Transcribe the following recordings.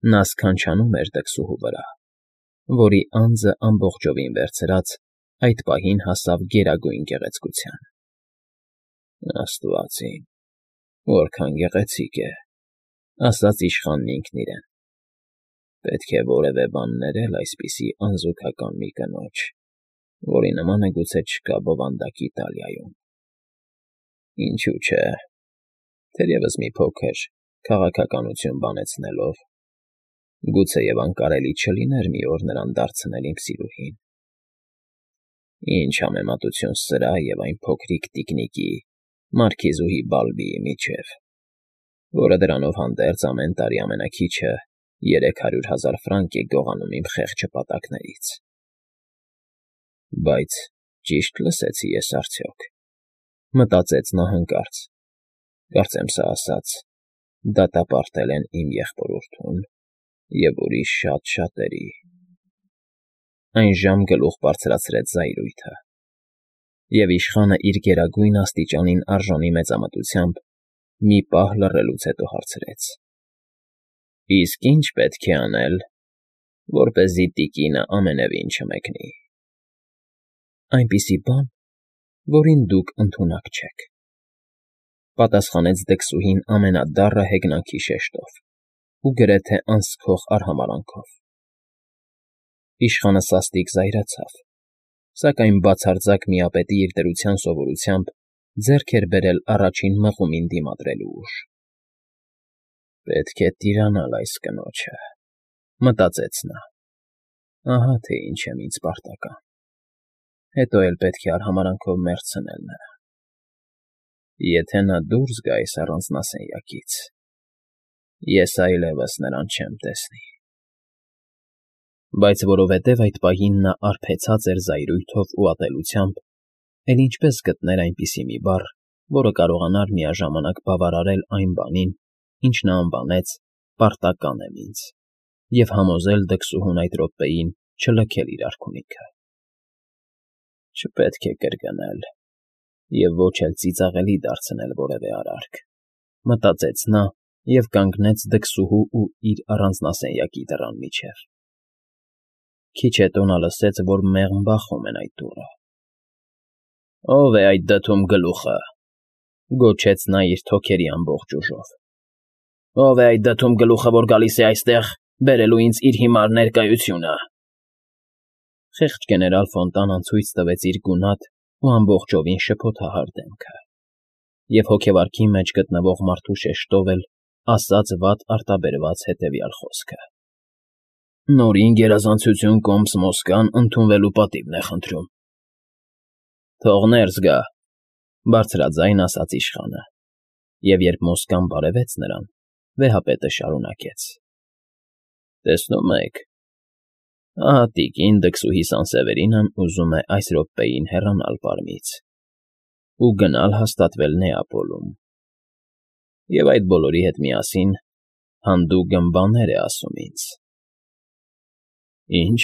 Նա սքանչանում էր դքսուհու վրա, որի անձը ամբողջովին վերցրած այդ պահին հասավ գերագույն գեղեցկության։ «Աստված իմ, որքան գեղեցիկ է», ասաց իշխանն ինքն իրեն։ «Պետք է որևէ բան ներել այսպիսի անզուգական մի կնոջ, որի նմանը գուցե չկա բովանդակ Իտալիայում։ Ինչու՞ չէ, թերևս մի փոքր քաղաքականություն բանեցնելով, գուցեև անկարելի չլիներ մի օր նրան դարձնել իմ սիրուհին։ Ինչ համեմատություն սրա և այն փոքրիկ տիկնիկի, մարքիզուհի Բալբիի միջև, որը դրանով հանդերձ ամեն տարի ամենաքիչը 300,000 ֆրանկ է գողանում իմ խեղճ հպատակներից։ Բայց ճի՞շտ լսեցի ես արդյոք», մտածեց նա հանկարծ։ «Կարծեմ սա ասած, դատապարտել են իմ եղբորորդուն և ուրիշ շատ շատերի»։ Այնժամ գլուխ բարձրացրեց զայրույթը, և իշխանը իր գերագույն աստիճանին արժանի մեծամտությամբ մի պահ լռելուց հետո հարցրեց. «Իսկ ի՞նչ պետք է անել, որպեսզի տիկինը ամենևին չմեկնի»։ «Այնպիսի բան, որին դուք ընդունակ չեք», պատասխանեց դքսուհին ամենադառը հեգնանքի շեշտով ու գրեթե անսքող արհամարհանքով։ Իշխանը սաստիկ զայրացավ, սակայն բացարձակ միապետի իր դրության սովորությամբ ձեռք էր բերել առաջին մղումին դիմադրելու ուժ։ «Պետք է տիրանալ այս կնոջը», մտածեց նա։ «Ահա թե ինչ եմ ինձ պարտական։ Հետո էլ պետք է արհամարհանքով մերձցնել նրան։ Եթե նա դուրս գա այս առանձնասենյակից, ես այլևս նրան չեմ տեսնի»։ Բայց որովհետև այդ պահին նա արբեցած էր զայրույթով ու ատելությամբ, էլ ինչպե՞ս գտներ այնպիսի մի բառ, որը կարողանար միաժամանակ բավարարել այն բանին, ինչ նա անվանեց «պարտական եմ ինձ» և համոզել դքսուհուն այդ րոպեին չլքել իր արքունիքը։ «Չպետք է կրկնել և ոչ էլ ծիծաղելի դարձնել որևէ արարք», մտածեց նա և կանգնեց դքսուհու ու իր առանձնասենյակի դռան միջև։ Քիչ հետո նա լսեց, որ մեղմ բախում են այդ դուռը։ «Ո՞վ է այդ դդում գլուխը», գոչեց նա իր թոքերի ամբողջ ուժով։ «Ո՞վ է այդ դդում գլուխը, որ գալիս է այստեղ բերելու ինձ իր հիմար ներկայությունը»։ Խեղճ գեներալ Ֆոնտանան ցույց տվեց իր գունատ ու ամբողջովին շփոթահար դեմքը, և հոգեվարքի մեջ գտնվող մարդու շեշտով էլ ասաց վատ արտաբերված հետևյալ խոսքը. «Նորին գերազանցություն կոմս Մոսկվան ընդունվելու պատիվն է խնդրում»։ «Թող ներս գա», բարձրաձայն ասաց իշխանը, և երբ Մոսկվան բարևեց նրան, վեհապետը շարունակեց. «Տեսնում եք, ահա տիկին դքսուհի Սանսևերինն ուզում է այս րոպեին հեռանալ Պարմից ու գնալ հաստատվել Նեապոլում, և այդ բոլորի հետ միասին հանդուգն բաներ է ասում ինձ»։ «Ի՞նչ»,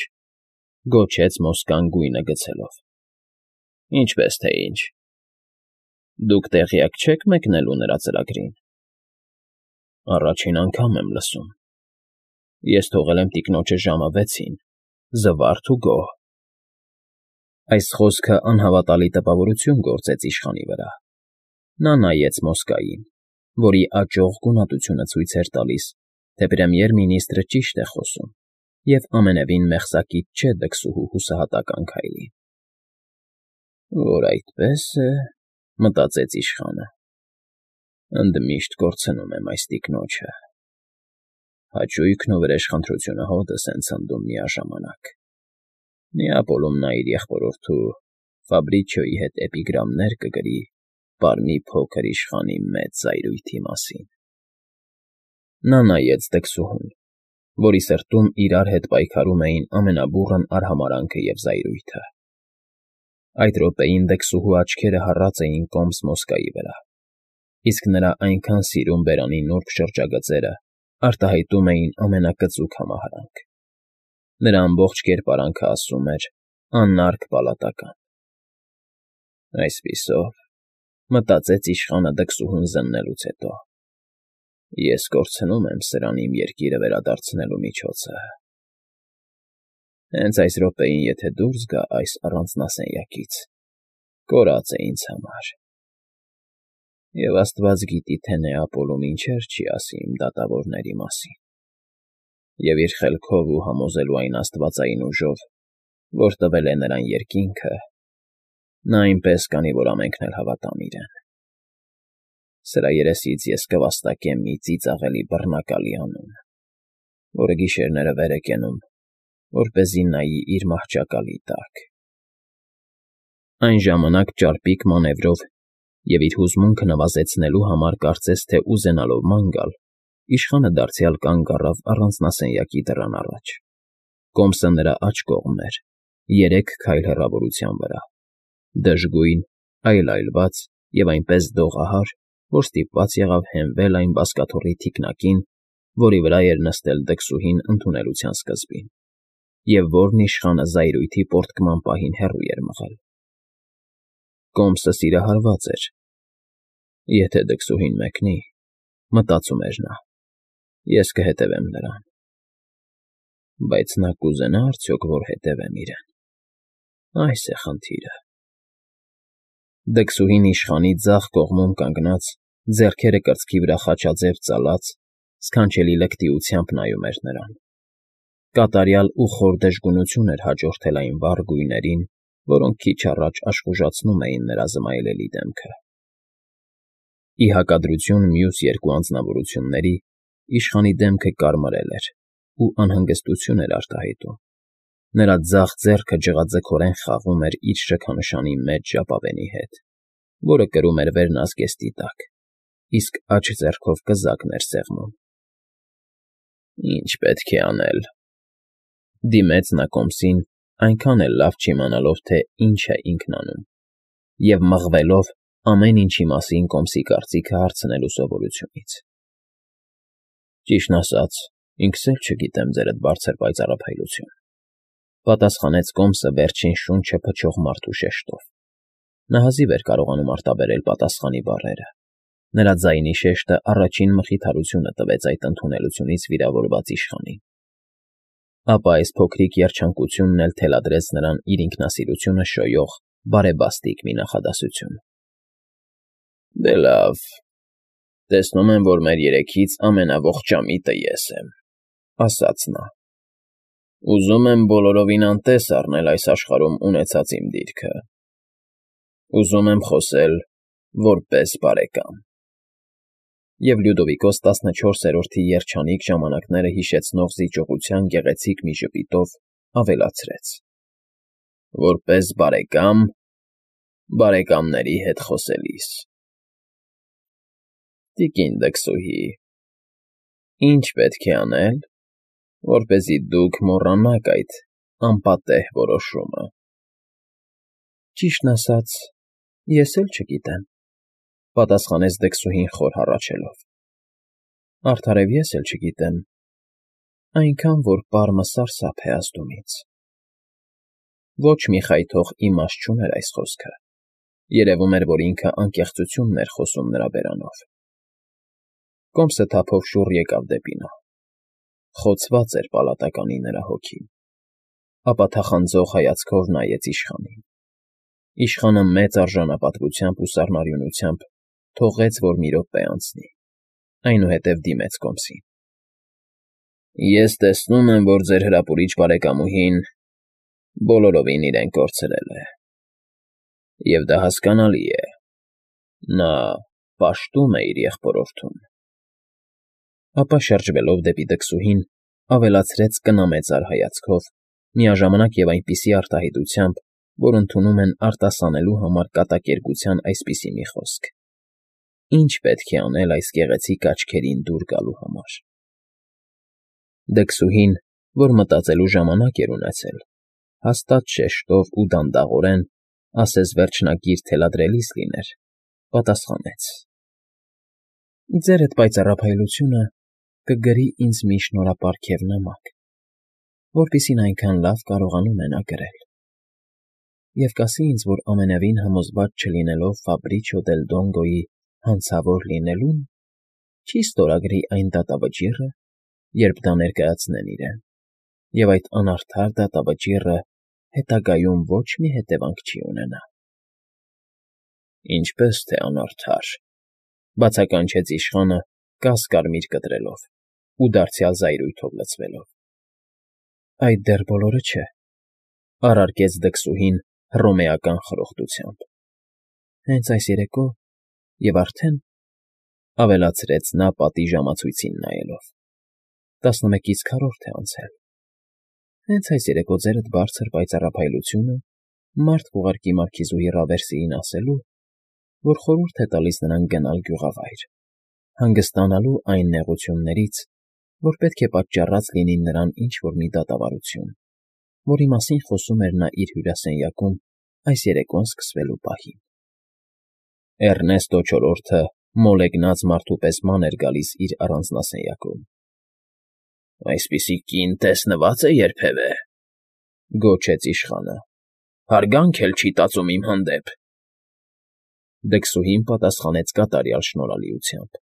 գոչեց Մոսկվան գույնը գցելով։ «Ինչպես թե ինչ։ Դուք տեղյակ չե՞ք մեկնելու նրա ծրագրին»։ «Առաջին անգամ եմ լսում։ Ես թողել եմ տիկնոջը ժամը 6-ին, զվարթ ու գոհ»։ Այս խոսքը անհավատալի տպավորություն գործեց իշխանի վրա։ Նա նայեց Մոսկվային, որի աճող գունատությունը ցույց էր տալիս, թե պրեմիեր֊մինիստրը ճիշտ է խոսում, և ամենևին մեղսակից չէ դքսուհու հուսահատական քայլին։ «Որ այդպես է,֊ մտածեց իշխանը,֊ ընդմիշտ կորցնում եմ այս տիկնոջը։ Հաճույքն ու վրեժխնդրությունը հօդս են ցնդում միաժամանակ։ Նեապոլում նա իր եղբորորդու Ֆաբրիչիոյի հետ էպիգրամներ կգրի Պարմի փոքր իշխանի մեծ զայրույթի մասին»։ Նա նայեց դքսուհուն, որի սրտում իրար հետ պայքարում էին ամենաբուռն արհամարհանքը և զայրույթը։ Այդ րոպեին դքսուհու աչքերը հառած էին կոմս Մոսկվայի վրա, իսկ նրա այնքան սիրուն բերանի նուրբ շրջագծերը արտահայտում էին ամենակծուկ համահարանք։ Նրա ամբողջ կերպարանքը ասում էր. «Անարգ պալատական»։ Այսպիսով, մտածեց իշխանը դքսուհուն զննելուց հետո, Ես կորցնում եմ սրան իմ երկիրը վերադարձնելու միջոցը։ Հենց այս րոպեին, եթե դուրս գա այս առանձնասենյակից, կորած է ինձ համար։ Եվ աստված գիտի, թե Նեապոլում ինչեր չի ասի իմ դատավորների մասին։ Եվ իր խելքով ու համոզելու այն աստվածային ուժով, որ տվել է նրան երկինքը, նա այնպես կանի, որ ամենքն էլ հավատան իրեն։ Սրա երեսից ես կվաստակեմ մի ծիծաղելի բռնակալի անուն, որը գիշերները վեր է կենում, որպեսզի նայի իր մահճակալի տակ։ Այն ժամանակ ճարպիկ մանևրով և իր հուզմունքը նվազեցնելու համար կարծես թե ուզենալով ման գալ, իշխանը դարձյալ կանգ առավ առանձնասենյակի դռան առաջ։ Կոմսը նրա աջ կողմն էր, 3 քայլ հեռավորության վրա, դժգույն, այլայլված և այնպես դողահար, որ ստիպված եղավ հենվել այն բազկաթոռի թիկնակին, որի վրա էր նստել դքսուհին ընդունելության սկզբին, և որն իշխանը զայրույթի պոռթկման պահին հեռու էր մղել։ Կոմսը սիրահարված էր։ Եթե դքսուհին մեկնի, մտածում էր նա, ես կհետևեմ նրան։ Բայց նա կուզենա՞ արդյոք, որ հետևեմ իրեն։ Այս է խնդիրը։ Դքսուհին իշխանի ձախ կողմում կանգնած, ձեռքերը կրծքի վրա խաչաձև ծալած, սքանչելի լկտիությամբ նայում էր նրան։ Կատարյալ ու խոր դժգունություն էր հաջորդել այն վառ գույներին, որոնք քիչ առաջ աշխուժացնում էին նրա զմայլելի դեմքը։ Ի հակադրություն մյուս երկու անձնավորությունների, իշխանի դեմքը կարմրել էր ու անհանգստություն էր արտահայտում։ Նրա ձախ ձեռքը ջղաձգորեն խաղում էր իր շքանշանի մեջ ժապավենի հետ, որը կրում էր վերնազգեստի տակ, իսկ աջ ձեռքով կզակն էր սեղմում։ Ինչ պետք է անել,֊ դիմեց նա կոմսին, այնքան էլ լավ չիմանալով, թե ինչ է ինքն անում, և մղվելով ամեն ինչի մասին կոմսի կարծիքը հարցնելու սովորությունից։ Ճիշտն ասած, ինքս էլ չգիտեմ, ձերդ բարձր պայծառափայլություն,֊ պատասխանեց կոմսը վերջին շունչը փչող մարդու շեշտով։ Նա հազիվ էր կարողանում արտաբերել պատասխանի բառերը։ Նրա ձայնի շեշտը առաջին մխիթարությունը տվեց այդ ընդունելությունից վիրավորված իշխանին։ Ապա այս փոքրիկ երջանկությունն էլ թելադրեց նրան իր ինքնասիրությունը շոյող բարեբաստիկ մի նախադասություն։ Դե լավ, տեսնում եմ, որ մեր երեքից ամենաողջամիտը ես եմ,֊ ասաց նա։ Ուզում եմ բոլորովին անտես առնել այս աշխարհում ունեցած իմ դիրքը։ Ուզում եմ խոսել որպես բարեկամ։ Եվ Լյուդովիկոս 14-րդի երջանիկ ժամանակները հիշեցնող զիջողության գեղեցիկ մի ժպիտով ավելացրեց. որպես բարեկամ, բարեկամների հետ խոսելիս։ Տիկին դքսուհի, ինչ պետք է անել, որպեսզի դուք մոռանաք այդ անպատեհ որոշումը։ Ճիշտն ասած, ես էլ չգիտեմ,֊ պատասխանեց դքսուհին խոր հառաչելով։ Արդարև ես էլ չգիտեմ, այնքան, որ պարմը սարսափ է ազդում ինձ։ Ոչ մի խայթող իմաստ չուներ այս խոսքը։ Երևում էր, որ ինքը անկեղծությունն էր խոսում նրա բերանով։ Կոմսը թափով շուռ եկավ դեպի նա։ Խոցված էր պալատականի նրա հոգին։ Ապա թախանձող հայացքով նայեց իշխանին։ Իշխանը մեծ արժանապատվությամբ ու սառնարյունությամբ թողեց, որ մի րոպե անցնի, այնուհետև դիմեց կոմսին։ Ես տեսնում եմ, որ ձեր հրապուրիչ բարեկամուհին բոլորովին իրեն կորցրել է։ Եվ դա հասկանալի է։ Նա պաշտում է իր եղբորորդուն։ Ապա շրջվելով դեպի դքսուհին, ավելացրեց կնամեծար հայացքով, միաժամանակ և այնպիսի արտահայտությամբ, որ ընդունում են արտասանելու համար կատակերգության այսպիսի մի խոսք. Ինչ պետք է անել այս գեղեցիկ աչքերին դուր գալու համար։ Դքսուհին, որ մտածելու ժամանակ էր ունեցել, հաստատ շեշտով ու դանդաղորեն, ասես վերջնագիր թելադրելիս լիներ, պատասխանեց. Ձերդ պայծառափայլությունը կգրի ինձ մի շնորհապարգև նամակ, որպիսին այնքան լավ կարողանում է նա գրել։ Եվ կասի ինձ, որ ամենևին համոզված չլինելով Ֆաբրիչիո դել Դոնգոյի հանցավոր լինելուն, չի ստորագրի այն դատավճիռը, երբ դա ներկայացնեն իրեն, և այդ անարդար դատավճիռը հետագայում ոչ մի հետևանք չի ունենա։ Ինչպես թե անարդար, բացականչեց իշխանը կաս-կարմիր կտրելով ու դարձյալ զայրույթով լցվելով։ Այդ դեռ բոլորը չէ, առարկեց դքսուհին հռոմեական խրոխտությամբ։ Հենց այս երեկո և արդեն, ավելացրեց նա պատի ժամացույցին նայելով, 11:4 է անցել։ Հենց այս երեկո ձերդ բարձր պայծառափայլությունը մարդ կուղարկի մարքիզուհի Ռավերսիին ասելու, որ խորհուրդ է տալիս նրան գնալ գյուղավայր, հանգստանալու այն նեղություններից, որ պետք է պատճառած լինի նրան ինչ֊որ մի դատավարություն, որի մասին խոսում էր նա իր հյուրասենյակում այս երեկոն սկսվելու պահին։ Էռնեստո չորրորդը մոլեգնած մարդու պես ման էր գալիս իր առանձնասենյակում։ «Այսպիսի կին տեսնվա՞ծ է երբևէ», գոչեց իշխանը։ «Հարգանք էլ չի տածում իմ հանդեպ»։ Դքսուհին պատասխանեց կատարյալ շնորհալիությամբ.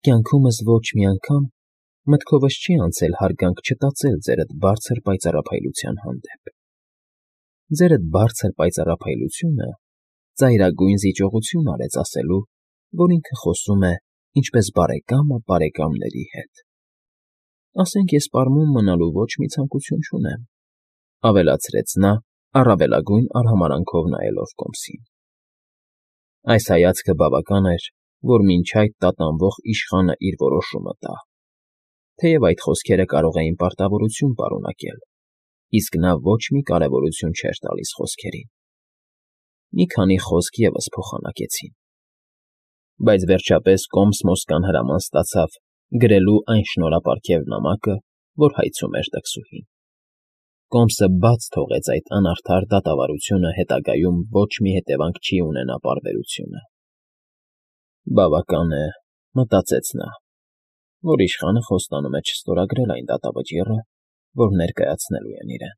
«Կյանքումս ոչ մի անգամ մտքովս չի անցել հարգանք չտածել ձերդ բարձր պայծառափայլության հանդեպ։ Ձերդ բարձր պայծառափայլությունը ծայրագույն զիջողություն արեց ասելու, որ ինքը խոսում է ինչպես բարեկամը բարեկամների հետ։ Ասենք ես պարմուն մնալու ոչ մի ցանկություն չունեմ», ավելացրեց նա առավելագույն արհամարհանքով նայելով կոմսին։ Այս հայացքը բավական էր, որ մինչ այդ տատանվող իշխանը իր որոշումը տա, թեև այդ խոսքերը կարող էին պարտավորություն պարունակել, իսկ նա ոչ մի կարևորություն չէր տալիս խոսքերին։ Մի քանի խոսք ևս փոխանակեցին, բայց վերջապես կոմս Մոսկան հրաման ստացավ գրելու այն շնորհապարգև նամակը, որ հայցում էր դքսուհին։ Կոմսը բաց թողեց այդ անարդար դատավարությունը հետագայում ոչ մի հետևանք չի ունենա պարբերությունը։ Բավական է, մտածեց նա, որ իշխանը խոստանում է չստորագրել այն դատավճիռը, որ ներկայացնելու են իրեն։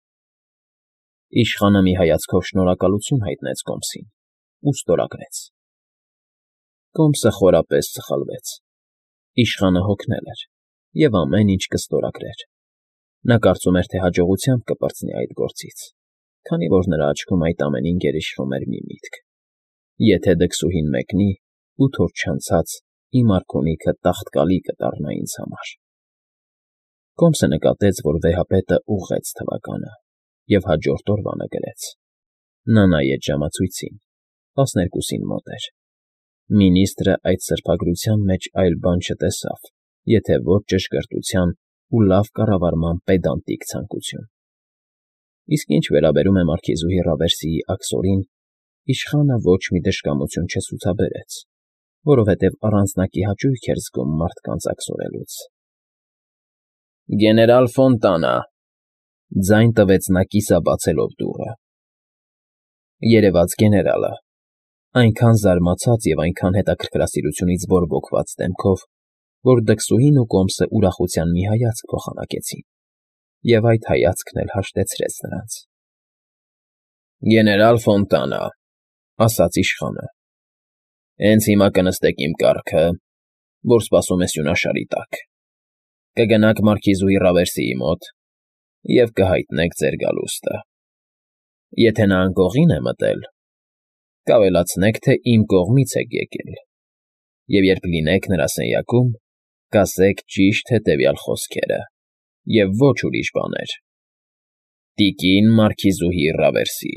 Իշխանը մի հայացքով շնորհակալություն հայտնեց կոմսին ու ստորագրեց։ Կոմսը խորապես սխալվեց։ Իշխանը հոգնել էր և ամեն ինչ կստորագրեր։ Նա կարծում էր, թե հաջողությամբ կպրծնի այդ գործից, քանի որ նրա աչքում այդ ամենին գերիշխում էր մի միտք. եթե դքսուհին մեկնի, 8 օր չանցած իմ արքունիքը տաղտկալի կդառնա ինձ համար։ Կոմսը նկատեց, որ վեհապետը ուղղեց թվականը և հաջորդ օրվանը գրեց։ Նա նայեց ժամացույցին, 12-ին մոտ էր։ Մինիստրը այդ սրբագրության մեջ այլ բան չտեսավ, եթե ոչ ճշգրտության ու լավ կառավարման պեդանտիկ ցանկություն։ Իսկ ինչ վերաբերում է մարքիզուհի Ռավերսիի աքսորին, իշխանը ոչ մի դժկամություն չցուցաբերեց, որովհետև առանձնակի հաճույք էր զգում մարդկանց աքսորելուց։ «Գեներալ Ֆոնտանա», ձայն տվեց նա կիսաբացելով դուռը։ Երևաց գեներալը, այնքան զարմացած և այնքան հետաքրքրասիրությունից բորբոքված դեմքով, որ դքսուհին ու կոմսը ուրախության մի հայացք փոխանակեցին, և այդ հայացքն էլ հաշտեցրեց նրանց։ «Գեներալ Ֆոնտանա», ասաց իշխանը, հենց հիմա կնստեք իմ կառքը, որ սպասում է սյունաշարի տակ, կգնաք մարքիզուհի Ռավերսիի մոտ և կհայտնեք ձեր գալուստը։ Եթե նա անկողին է մտել, կավելացնեք, թե իմ կողմից եք եկել, և երբ լինեք նրա սենյակում, կասեք ճիշտ հետևյալ խոսքերը և ոչ ուրիշ բաներ. «Տիկին մարքիզուհի Ռավերսի,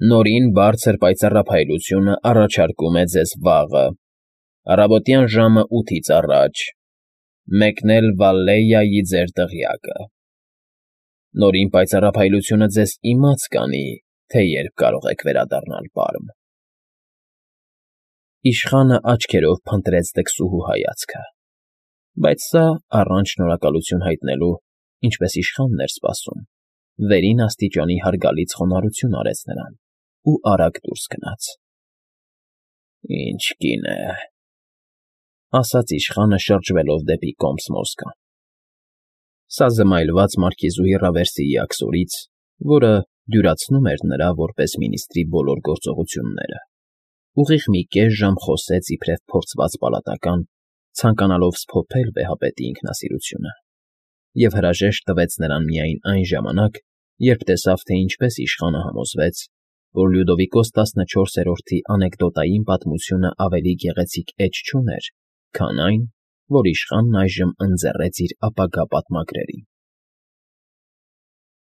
նորին բարձր պայծառափայլությունը առաջարկում է ձեզ վաղը, առավոտյան ժամը 8-ից առաջ, մեկնել Վալլեյայի ձեր դղյակը։ Նորին պայծառափայլությունը ձեզ իմաց կանի, թե երբ կարող եք վերադառնալ պարմ»։ Իշխանը աչքերով փնտրեց դքսուհու հայացքը, բայց սա, առանց շնորհակալություն հայտնելու, ինչպես իշխանն էր սպասում, վերին աստիճանի հարգալից խոնարհություն արեց նրան ու արագ դուրս գնաց։ «Ինչ կին է», ասաց իշխանը շրջվելով դեպի կոմս Մոսկան։ Սա զմայլված մարքիզուհի Ռավերսիի աքսորից, որը դյուրացնում էր նրա որպես մինիստրի բոլոր գործողությունները, ուղիղ մի կես ժամ խոսեց իբրև փորձված պալատական ցանկանալով սփոփել վեհապետի ինքնասիրությունը, և հրաժեշտ տվեց նրան միայն այն ժամանակ, երբ տեսավ, թե ինչպես իշխանը համոզվեց, որ Լյուդովիկոս տասնչորսերորդի անեկդոտային պատմությունն ավելի գեղեցիկ էջ չուներ, քան այն, որ իշխանն այժմ ընձեռեց իր ապագա պատմագրերին։